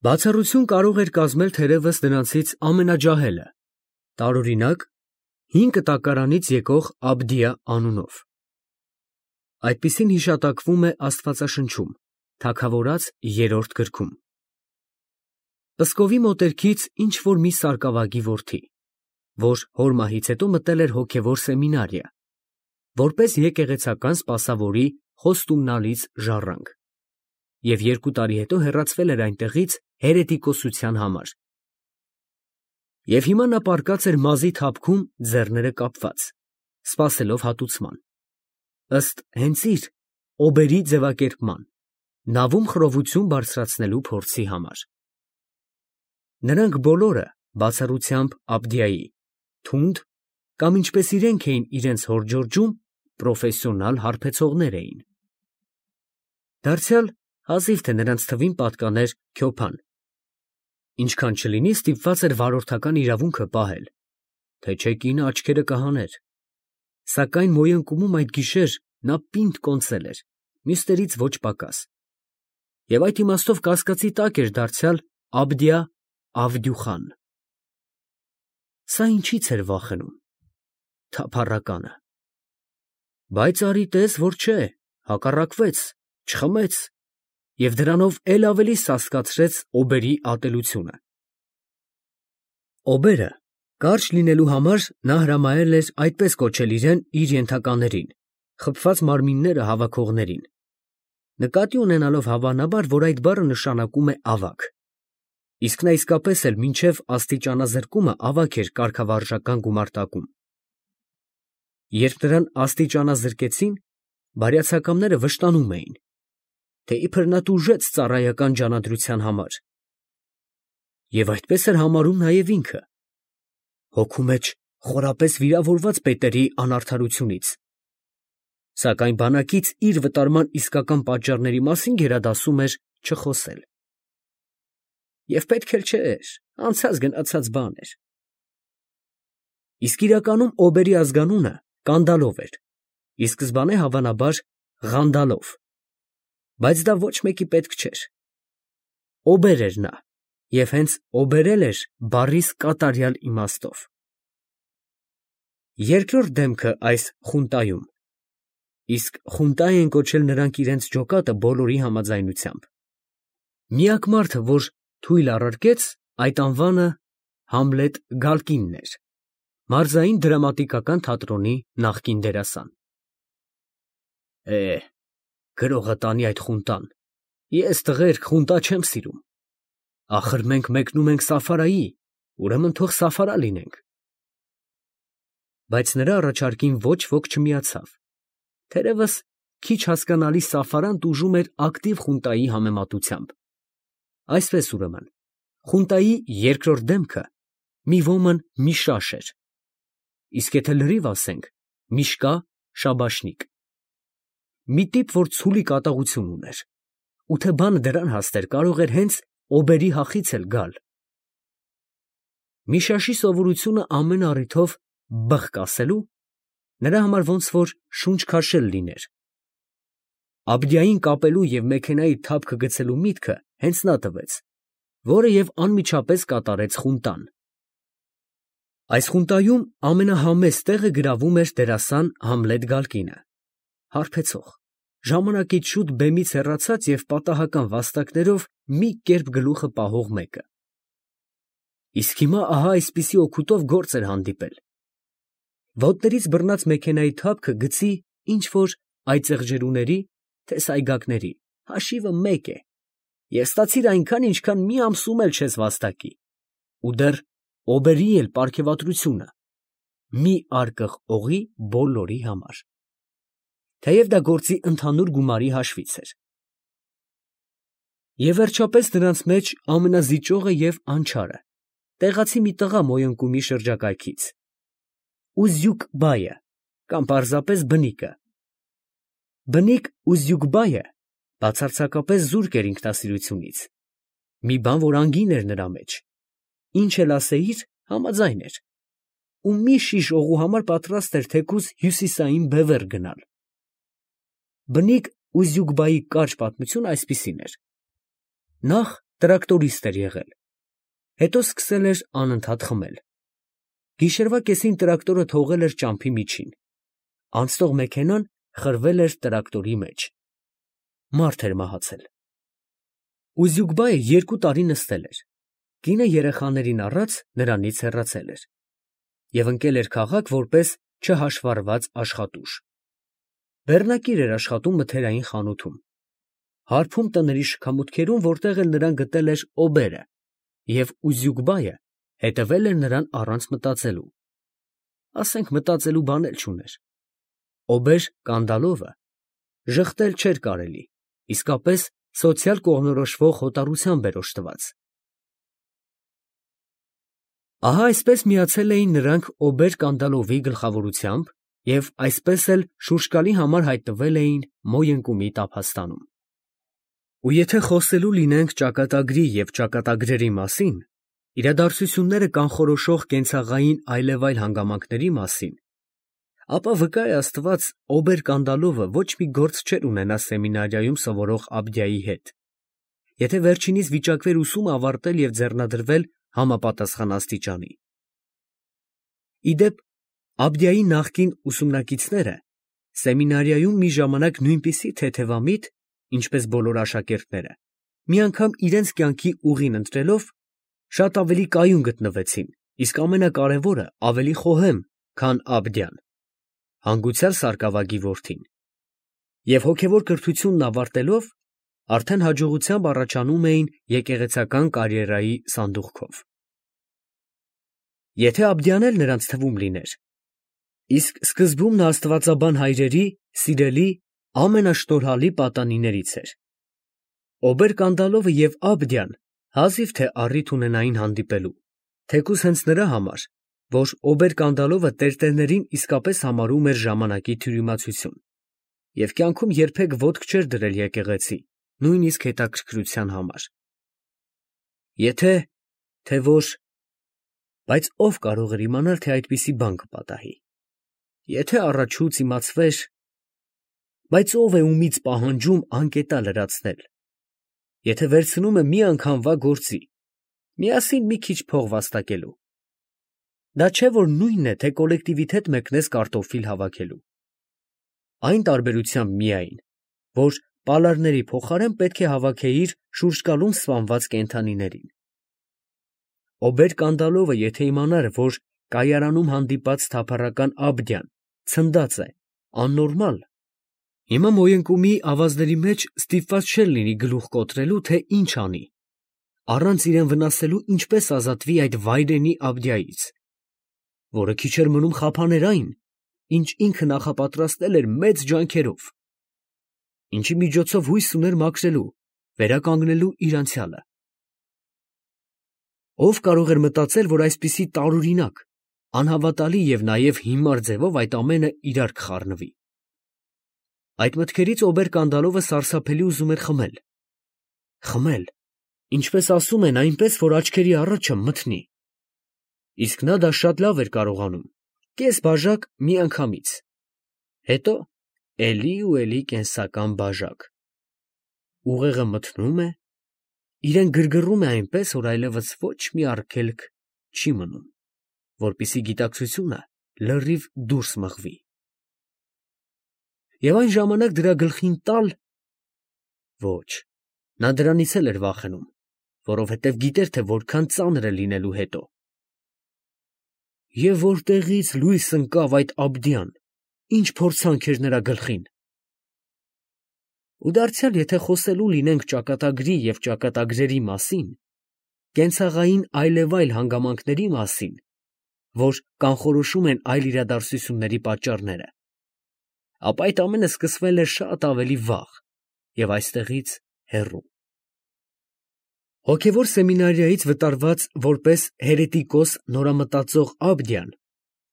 Բացառություն կարող էր կազմել թերևս նրանցից ամենաջահելը, տարօրինակ 5 կտակարանից եկող Աբդիա անունով։ Այդպիսին հիշատակվում է Աստվածաշնչում, Թագավորաց 3-րդ գրքում։ Պսկովի մոտերքից ինչ-որ մի սարկավագի որդի, որ հոր մահից հետո մտել էր հոգևոր սեմինարիա, որպես եկեղեցական սպասավորի խոստումնալից ժառանգ, և 2 տարի հետո հեռացվել էր այնտեղից հերետիկոսության համար։ Եվ հիմա նա պառկած էր մազի թափքում ձեռները կապված, սպասելով հատուցման, ըստ հենց իր օբերի ձևակերպման, նավում խռովություն բարձրացնելու փորձի համար։ Նրանք բոլորը, բացառությամբ Աբդիայի, թունդ կամ ինչպես իրենք էին իրենց հոր ջորջում, պրոֆեսիոնալ հարբեցողներ էին։ Դարձյալ հազիվ թե նրանց թվին պատկաներ Քյոփան, ինչքան չլինի ստիպված էր վարորդական իրավունքը պահել, թե չէ կինը աչքերը կհաներ, սակայն մոյընկումում այդ գիշեր նա պինդ կոնծել էր, մյուսներից ոչ պակաս, և այդ իմաստով կասկածի տակ էր դարձյալ Աբդիա Ավդյուխան։ Սա ինչից էր վախենում, թափառականը։ Բայց արի տես, որ չէ, հակառակվեց, չխմեց և դրանով էլ ավելի սաստկացրեց օբերի ատելությունը։ Օբերը կարճ լինելու համար նա հրամայել էր այդպես կոչել իրեն իր ենթականերին, խփված մարմինները հավաքողներին, նկատի ունենալով հավանաբար, որ այդ բառը նշանակում է ավագ, իսկ նա իսկապես էլ մինչև աստիճանազրկումը ավագ էր կարգավարժական գումարտակում։ Երբ նրան աստիճանազրկեցին, բարյացակամները վշտանում էին, թե իբր նա տուժեց ծառայական ջանադրության համար, և այդպես էր համարում նաև ինքը, հոգու մեջ խորապես վիրավորված պետերի անարդարությունից, սակայն բանակից իր վտարման իսկական պատճառների մասին գերադասում էր չխոսել։ Եվ պետք էլ չէր, անցած գնացած բան էր։ Իսկ իրականում օբերի ազգանունը Կանդալով էր, ի սկզբանե հավանաբար Ղանդալով, բայց դա ոչ մեկի պետք չէր։ Օբեր էր նա, և հենց օբերել էր բառիս կատարյալ իմաստով։ Երկրորդ դեմքը այս խունտայում, իսկ խունտա են կոչել նրանք իրենց ջոկատը բոլորի համաձայնությամբ, միակ մարդը, որ թույլ առարկեց այդ անվանը Համլետ Գալկինն էր, մարզային դրամատիկական թատրոնի նախկին դերասան։ Գրողը տանի այդ խունտան, ես տղերք խունտա չեմ սիրում, ախր մենք մեկնում ենք Սաֆարայի, ուրեմն թող Սաֆարա լինենք։ Բայց նրա առաջարկին ոչ ոք չմիացավ, թերևս քիչ հասկանալի Սաֆարան տուժում էր ակտիվ խունտայի համեմատությամբ։ Այսպես ուրեմն, խունտայի երկրորդ դեմքը մի ոմն Միշաշ էր, իսկ եթե լրիվ ասենք, Միշկա Շաբաշնիկ, մի տիպ, որ ցուլի կատաղություն ուներ, ու թե բանը դրան հասներ, կարող էր հենց օբերի հախից էլ գալ։ Միշաշի սովորությունը ամեն առիթով բղկ ասելու նրա համար ոնց որ շունչ քաշել լիներ։ Աբդիային կապելու և մեքենայի թափքը գցելու միտքը հենց նա տվեց, որը և անմիջապես կատարեց խունտան։ Այս խունտայում ամենահամեստ տեղը գրավում էր դերասան Համլետ Գալկինը, հարբեցող, ժամանակից շուտ բեմից հեռացած և պատահական վաստակներով մի կերպ գլուխը պահող մեկը։ Իսկ հիմա ահա այսպիսի օգուտով գործ էր հանդիպել։ Ոտներից բռնած մեքենայի թափքը գցի ինչ֊որ այծեղջերուների, թե սայգակների, հաշիվը մեկ է, և ստացիր այնքան, ինչքան մի ամսում էլ չես վաստակի, ու դեռ օբերի էլ պարգևատրությունը, մի արկղ օղի բոլորի համար, թեև դա գործի ընդհանուր գումարի հաշվից էր։ Եվ վերջապես նրանց մեջ ամենազիջողը և անչարը, տեղացի մի տղա Մոյընկումի շրջակայքից, Ուզյուկ֊բայը կամ պարզապես Բնիկը։ Բնիկ Ուզյուկ֊բայը բացարձակապես զուրկ էր ինքնասիրությունից, մի բան, որ անգին էր նրա մեջ, ինչ էլ ասեիր, համաձայն էր, ու մի շիշ օղու համար պատրաստ էր թեկուզ հյուսիսային Բևեռ գնալ։ Բնիկ Ուզյուկ֊բայի կարճ պատմությունը այսպիսին էր. նախ տրակտորիստ էր եղել, հետո սկսել էր անընդհատ խմել։ Գիշերվա կեսին տրակտորը թողել էր ճամփի միջին, անցնող մեքենան խրվել էր տրակտորի մեջ։ Մարդ էր մահացել։ Ուզյուգբայը 2 տարի նստել էր, կինը երեխաներին առած նրանից հեռացել էր և ընկել էր քաղաք որպես չհաշվառված աշխատուժ։ Բեռնակիր էր աշխատում մթերային խանութում, հարբում տների շքամուտքերում, որտեղ էլ նրան գտել էր օբերը, և Ուզյուգբայը հետևել էր նրան առանց մտածելու, ասենք մտածելու բան էլ չուներ։ Օբեր Կանդալովը ժխտել չէր կարելի, իսկապես սոցիալ կողմնորոշվող հոտառությամբ էր օժտված։ Ահա այսպես միացել էին նրանք օբեր Կանդալովի գլխավորությամբ և այսպես էլ շուրջկալի համար հայտնվել էին Մոյընկումի տափաստանում։ Ու եթե խոսելու լինենք ճակատագրի և ճակատագրերի մասին, իրադարձությունները կանխորոշող կենցաղային այլևայլ հանգամանքների մասին, ապա վկա է Աստված, օբեր Կանդալովը ոչ մի գործ չէր ունենա սեմինարիայում սովորող Աբդիայի հետ, եթե վերջինիս վիճակվեր ուսումը ավարտել և ձեռնադրվել համապատասխան աստիճանի։ Ի դեպ, Աբդիայի նախկին ուսումնակիցները սեմինարիայում մի ժամանակ նույնպիսի թեթևամիտ, ինչպես բոլոր աշակերտները, մի անգամ իրենց կյանքի ուղին ընտրելով, շատ ավելի կայուն գտնվեցին, իսկ ամենակարևորը ավելի խոհեմ, քան Աբդյան, հանգուցյալ սարկավագի որդին, և հոգևոր կրթությունն ավարտելով, արդեն հաջողությամբ առաջանում էին եկեղեցական կարիերայի սանդուղքով։ Եթե Աբդյան էլ նրանց թվում լիներ, իսկ սկզբում նա աստվածաբան հայրերի սիրելի ամենաշտորհալի պատանիներից էր, օբեր Կանդալովը և Աբդյան հազիվ թե առիթ ունենային հանդիպելու, թեկուզ հենց նրա համար, որ օբեր Կանդալովը տերտերներին իսկապես համարում էր ժամանակի թյուրիմացություն և կյանքում երբեք ոտք չէր դրել եկեղեցի, նույնիսկ հետաքրքրության համար։ Եթե, թե որ, բայց ով կարող էր իմանալ, թե այդպիսի բան կպատահի։ Եթե առաջուց իմացվեր, բայց ով է ումից պահանջում անկետա լրացնել, եթե վերցնում է մի անգամվա գործի, միասին մի քիչ փող վաստակելու, դա չէ, որ նույնն է, թե կոլեկտիվիթետ մեկնես կարտոֆիլ հավաքելու։ Այն տարբերությամբ միայն, որ պալարների փոխարեն պետք է հավաքեիր շուրջկալում սպանված կենդանիներին։ Օբեր Կանդալովը եթե իմանար, որ կայարանում հանդիպած թափառական Աբդյան ցնդած է, աննորմալ, հիմա Մոյընկումի ավազների մեջ ստիպված չէր լինի գլուխ կոտրելու, թե ինչ անի, առանց իրեն վնասելու ինչպես ազատվի այդ վայրենի Աբդյայից, որը քիչ էր մնում խափաներ այն, ինչ ինքը նախապատրաստել էր մեծ ջանքերով, ինչի միջոցով հույս ուներ մաքրելու, վերականգնելու իր անցյալը։ Ով կարող էր մտածել, որ այսպիսի տարօրինակ, անհավատալի և նաև հիմար ձևով այդ ամենը իրար կխառնվի։ Այդ մտքերից օբեր Կանդալովը սարսափելի ուզում էր խմել։ Խմել, ինչպես ասում են, այնպես, որ աչքերի առաջը մթնի։ Իսկ նա դա շատ լավ էր կարողանում, կես բաժակ միանգամից, հետո էլի ու էլի կենսական բաժակ։ Ուղեղը մթնում է, իրեն գրգռում է այնպես, որ այլևս ոչ մի արգելք չի մնում, որպեսզի գիտակցությունը լրիվ դուրս մղվի։ Եվ այն ժամանակ դրա գլխին տալ… Ոչ, նա դրանից էլ էր վախենում, որովհետև գիտեր, թե որքան ծանր է լինելու հետո։ Եվ որտեղից լույս ընկավ այդ Աբդյան, ինչ փորձանք էր նրա գլխին։ Ու դարձյալ, եթե խոսելու լինենք ճակատագրի և ճակատագրերի մասին, կենցաղային այլևայլ հանգամանքների մասին, որ կանխորոշում են այլ իրադարձությունների պատճառները, ապա այդ ամենը սկսվել էր շատ ավելի վաղ և այստեղից հեռու։ Հոգևոր սեմինարիայից վտարված որպես հերետիկոս նորամտածող Աբդյան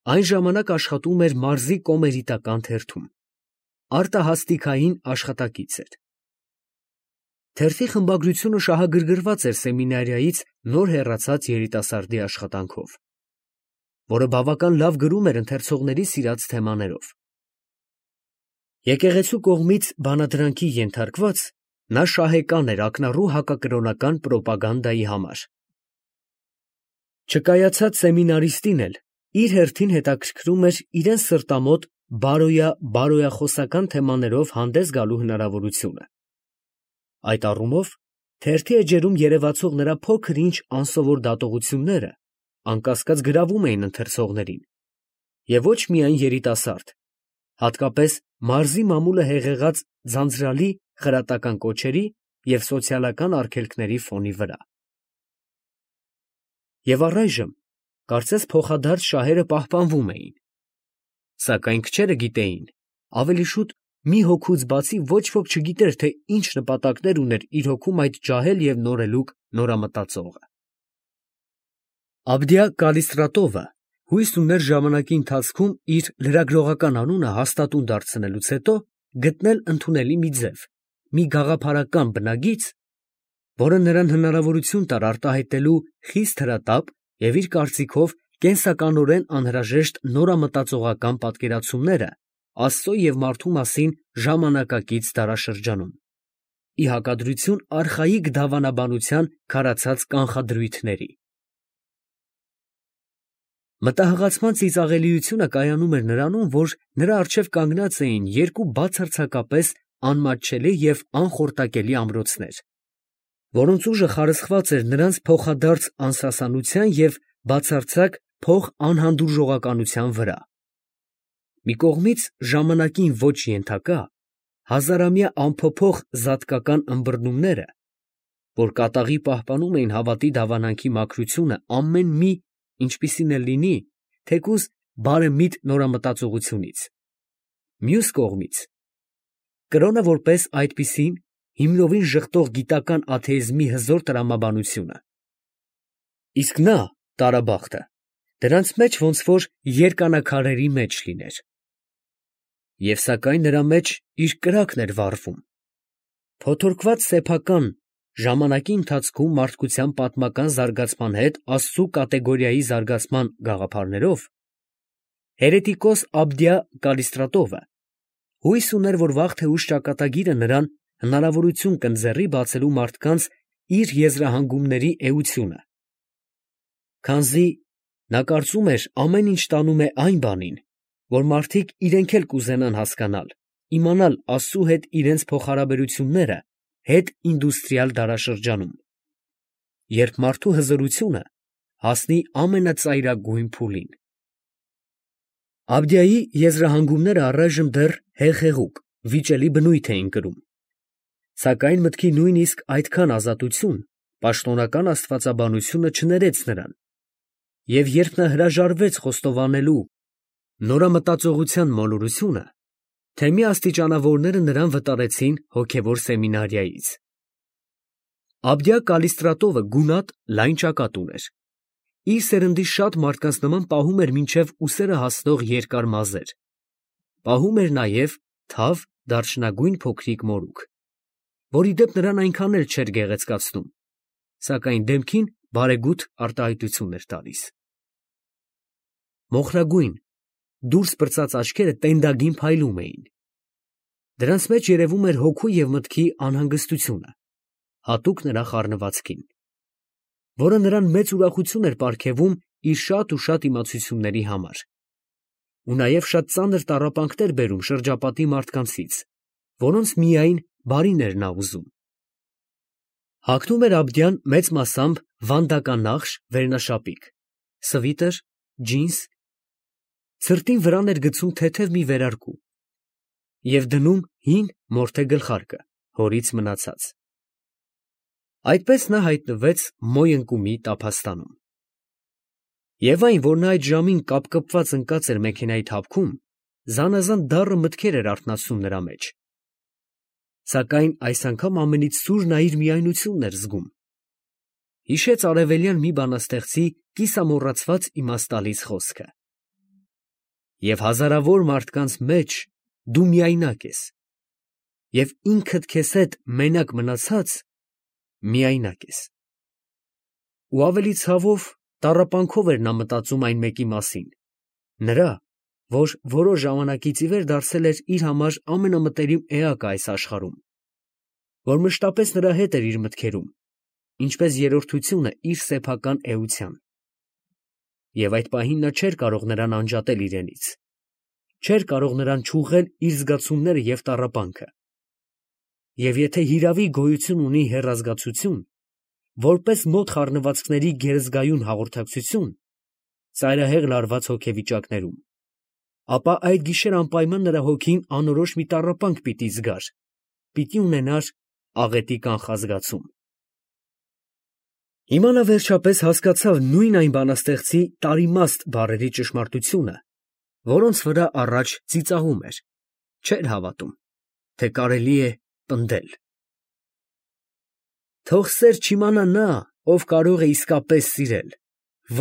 այն ժամանակ աշխատում էր մարզի կոմերիտական թերթում, արտահասթիկային աշխատակից էր։ Թերթի խմբագրությունը շահագրգռված էր սեմինարիայից նոր հեռացած երիտասարդի աշխատանքով, որը բավական լավ գրում էր ընթերցողների սիրած թեմաներով։ Եկեղեցու կողմից բանադրանքի ենթարկված, Նա շահեկան էր ակնառու հակակրոնական պրոպագանդայի համար։ Չկայացած սեմինարիստին էլ իր հերթին հետաքրքրում էր իրեն սրտամոտ բարոյախոսական թեմաներով հանդես գալու հնարավորությունը։ Այդ առումով թերթի էջերում երևացող նրա փոքր-ինչ անսովոր դատողությունները անկասկած գրավում էին ընթերցողներին, և ոչ միայն երիտասարդ, հատկապես մարզի մամուլը հեղեղած ձանձրալի խրատական կոչերի և սոցիալական արգելքների ֆոնի վրա։ Եվ առայժմ, կարծես փոխադարձ շահերը պահպանվում էին, սակայն քչերը գիտեին, ավելի շուտ մի հոգուց բացի ոչ ոք չգիտեր, թե ինչ նպատակներ ուներ իր հոգում այդ ջահել և նորելուկ նորամտածողը։ Աբդիա Կալիստրատովը հույս ուներ ժամանակի ընթացքում իր լրագրողական անունը հաստատուն դարձնելուց հետո գտնել ընդունելի մի ձև, մի գաղափարական բնագիծ, որը նրան հնարավորություն տար արտահայտելու խիստ հրատապ և իր կարծիքով կենսականորեն անհրաժեշտ նորամտածողական պատկերացումները Աստծո և մարդու մասին ժամանակակից դարաշրջանում, ի հակադրություն արխայիկ դավանաբանության քարացած կանխադրույթների։ Մտահղացման ծիծաղելիությունը կայանում էր նրանում, որ նրա առջև կանգնած էին երկու բացարձակապես անմատչելի և անխորտակելի ամրոցներ, որոնց ուժը խարսխված էր նրանց փոխադարձ անսասանության և բացարձակ փոխանհանդուրժողականության վրա։ Մի կողմից ժամանակին ոչ ենթակա, հազարամյա անփոփոխ զատկական ըմբռնումները, որ կատաղի պահպանում էին հավատի դավանանքի մաքրությունը ամեն մի, ինչպիսին էլ լինի, թեկուզ բարեմիտ նորամտածողությունից, մյուս կողմից կրոնը որպես այդպիսին հիմնովին ժխտող գիտական աթեիզմի հզոր տրամաբանությունը։ Իսկ նա, տարաբախտը, դրանց մեջ ոնց որ երկանաքարերի մեջ լիներ։ Եվ սակայն նրա մեջ իր կրակն էր վառվում, փոթորկված սեփական ժամանակի ընթացքում մարդկության պատմական զարգացման հետ աստծու կատեգորիայի զարգացման գաղափարներով, հերետիկոս Աբդիա Կալիստրատովը հույս ուներ, որ վաղ թե ուշ ճակատագիրը նրան հնարավորություն կընձեռի բացելու մարդկանց իր եզրահանգումների էությունը, քանզի նա կարծում էր ամեն ինչ տանում է այն բանին, որ մարդիկ իրենք էլ կուզենան հասկանալ, իմանալ Աստծու հետ իրենց փոխհարաբերությունները հետինդուստրիալ դարաշրջանում, երբ մարդու հզորությունը հասնի ամենածայրագույն փուլին։ Աբդիայի եզրահանգումները առայժմ դեռ հեղեղուկ, վիճելի բնույթ էին կրում, սակայն մտքի նույնիսկ այդքան ազատություն պաշտոնական աստվածաբանությունը չներեց նրան, և երբ նա հրաժարվեց խոստովանելու նորամտածողության մոլորությունը, թեմի աստիճանավորները նրան վտարեցին հոգևոր սեմինարիայից։ Աբդիա Կալիստրատովը գունատ, լայն ճակատ ուներ, իր սերնդի շատ մարդկանց նման պահում էր մինչև ուսերը հասնող երկար մազեր, պահում էր նաև թավ, դարչնագույն փոքրիկ մորուք, որ ի դեպ նրան այնքան էլ չէր գեղեցկացնում, սակայն դեմքին բարեգութ արտահայտություն էր տալիս։ Մոխրագույն, դուրս պրծած աչքերը տենդագին փայլում էին, դրանց մեջ երևում էր հոգու և մտքի անհանգստությունը, հատուկ նրա խառնվածքին, որը նրան մեծ ուրախություն էր պարգևում իր շատ ու շատ իմացությունների համար, ու նաև շատ ծանր տառապանքներ բերում շրջապատի մարդկանցից, որոնց միայն բարին էր նա ուզում։ Հագնում էր Աբդիան մեծ մասամբ վանդականախշ վերնաշապիկ, սվիտր, ջինս, ցրտին վրան էր գցում թեթև մի վերարկու և դնում հին մորթե գլխարկը, հորից մնացած։ Այդպես նա հայտնվեց Մոյընկումի տափաստանում։ Եվ այն, որ նա այդ ժամին կապկպված ընկած էր մեքենայի թափքում, զանազան դառը մտքեր էր արթնացնում նրա մեջ, սակայն այս անգամ ամենից սուր նա իր միայնությունն էր զգում։ Հիշեց արևելյան մի բանաստեղծի կիսամոռացված իմաստալից խոսքը. «Եվ հազարավոր մարդկանց մեջ դու միայնակ ես, և ինքդ քեզ հետ մենակ մնացած միայնակ ես»։ Ու ավելի ցավով, տառապանքով էր նա մտածում այն մեկի մասին, նրա, որ որոշ ժամանակից ի վեր դարձել էր իր համար ամենամտերիմ էակը այս աշխարհում, որ մշտապես նրա հետ էր իր մտքերում, ինչպես երրորդությունը իր սեփական էության։ Եվ այդ պահին նա չէր կարող նրան անջատել իրենից, չէր կարող նրան չուղղել իր զգացումները և տառապանքը։ Եվ եթե հիրավի գոյություն ունի հեռազգացություն, որպես մոտ խառնվածքների գերզգայուն հաղորդակցություն, ծայրահեղ լարված հոգեվիճակներում, ապա այդ գիշեր անպայման նրա հոգին անորոշ մի տառապանք պիտի զգար, պիտի ունենար աղետի կանխազգացում։ Հիմա նա վերջապես հասկացավ նույն այն բանաստեղծի տարիմաստ բառերի ճշմարտությունը, որոնց վրա առաջ ծիծաղում էր, չէր հավատում, թե կարելի է պնդել։ Թող սեր չիմանա նա, ով կարող է իսկապես սիրել,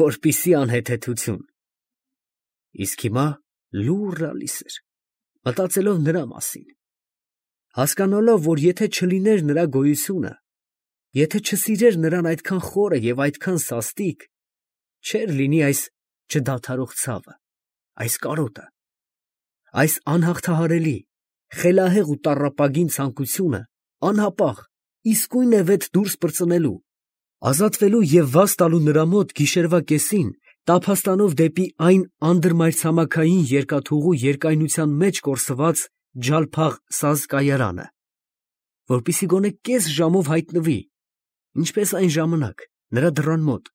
որպիսի անհեթեթություն։ Իսկ հիմա լուռ ալիս էր, մտածելով նրա մասին, հասկանալով, որ եթե չլիներ նրա գոյությունը, եթե չսիրեր նրան այդքան խորը և այդքան սաստիկ, չէր լինի այս չդադարող ցավը, այս կարոտը, այս անհաղթահարելի, խելահեղ ու տառապագին ցանկությունը անհապաղ, իսկույնև դուրս պրծնելու, ազատվելու և վազ տալու նրա մոտ գիշերվա կեսին, տափաստանով դեպի այն անդրմայրցամաքային երկաթուղու երկայնության մեջ կորսված ջալփաղ սազկայարանը, որպեսզի գոնե կես ժամով հայտնվի, ինչպես այն ժամանակ, նրա դռան մոտ,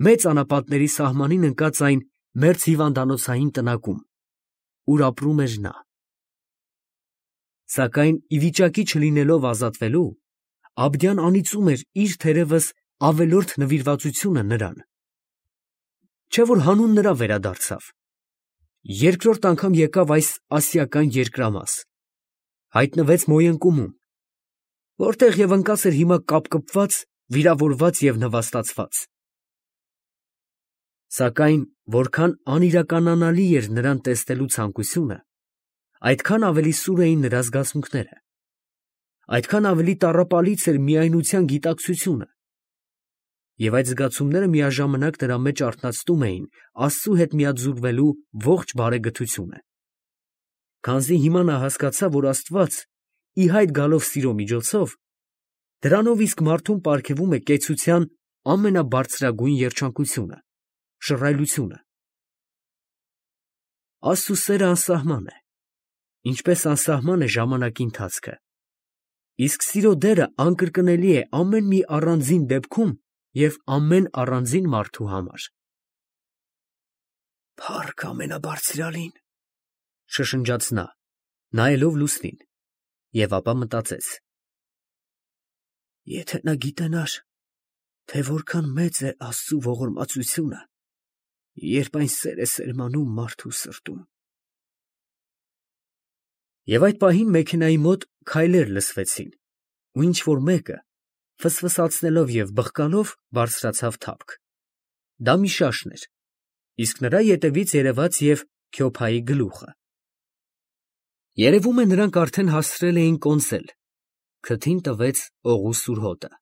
մեծ անապատների սահմանին ընկած այն մերձ հիվանդանոցային տնակում, ուր ապրում էր նա։ Սակայն ի վիճակի չլինելով ազատվելու, Աբդյան անիծում էր իր թերևս ավելորդ նվիրվածությունը նրան։ Չէ՞ որ հանուն նրա վերադարձավ։ Երկրորդ անգամ եկավ այս ասիական երկրամաս, հայտնվեց Մոյընկումում, որտեղ և ընկած էր հիմա կապկպված, վիրավորված և նվաստացված։ Սակայն որքան անիրականանալի էր նրան տեսնելու ցանկությունը, այդքան ավելի սուր էին նրա զգացմունքները, այդքան ավելի տառապալից էր միայնության գիտակցությունը, և այդ զգացումները միաժամանակ նրա մեջ արթնացնում էին Աստծու հետ միաձուլվելու ողջ բարեգթությունը։ Քանզի հիմա նա հասկացավ, որ Աստված, ի հայտ գալով սիրո միջոցով, դրանով իսկ մարդուն պարգևում է կեցության ամենաբարձրագույն երջանկությունը, շռայլությունը։ Աստծու սերը անսահման է, ինչպես անսահման է ժամանակի ընթացքը, իսկ սիրո դերը անկրկնելի է ամեն մի առանձին դեպքում և ամեն առանձին մարդու համար։ Փառք ամենաբարձրյալին, շշնջաց նա, նայելով լուսնին, և ապա մտածեց. եթե նա գիտենար, թե որքան մեծ է Աստծու ողորմածությունը, երբ այն սեր է սերմանում մարդու սրտում։ Եվ այդ պահին մեքենայի մոտ քայլեր լսվեցին, ու ինչ֊որ մեկը, ֆսֆսացնելով և բղկալով, բարձրացավ թափք։ Դա Միշաշն էր, իսկ նրա ետևից երևաց և Քյոփայի գլուխը։ Երևում է, նրանք արդեն հասցրել էին կոնսել, քթին տվեց օղու սուր հոտը։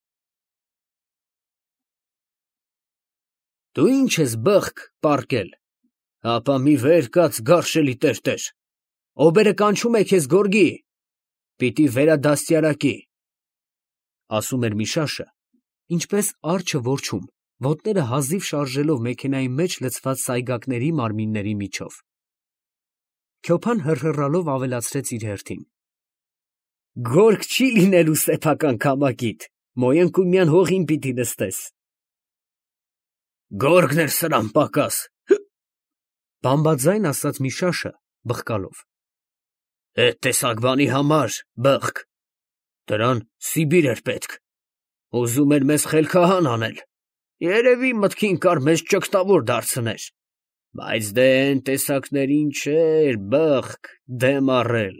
Դու ի՞նչ ես բղկ պառկել, ապա մի վեր կաց գարշելի տերտեր, օբերը կանչում է քեզ գորգի, պիտի վերադաստիարակի, ասում էր Միշաշը, ինչպես արջը որջում, ոտները հազիվ շարժելով մեքենայի մեջ լցված սայգակների մարմինների միջով։ Քյոփան հռհռալով ավելացրեց իր հերթին. Գորգ չի լինելու սեփական քամակիդ, Մոյընկումյան հողին պիտի նստես։ Գորգն էր սրան պակաս, բամբաձայն ասաց Միշաշը, բղկալով։ Էդ տեսակ բանի համար, բղկ, դրան Սիբիր էր պետք, ուզում էր մեզ խելքահան անել, երևի մտքին կար մեզ ճգտավոր դարձնել, բայց դե էն տեսակներին չէր, բղկ, դեմ առել։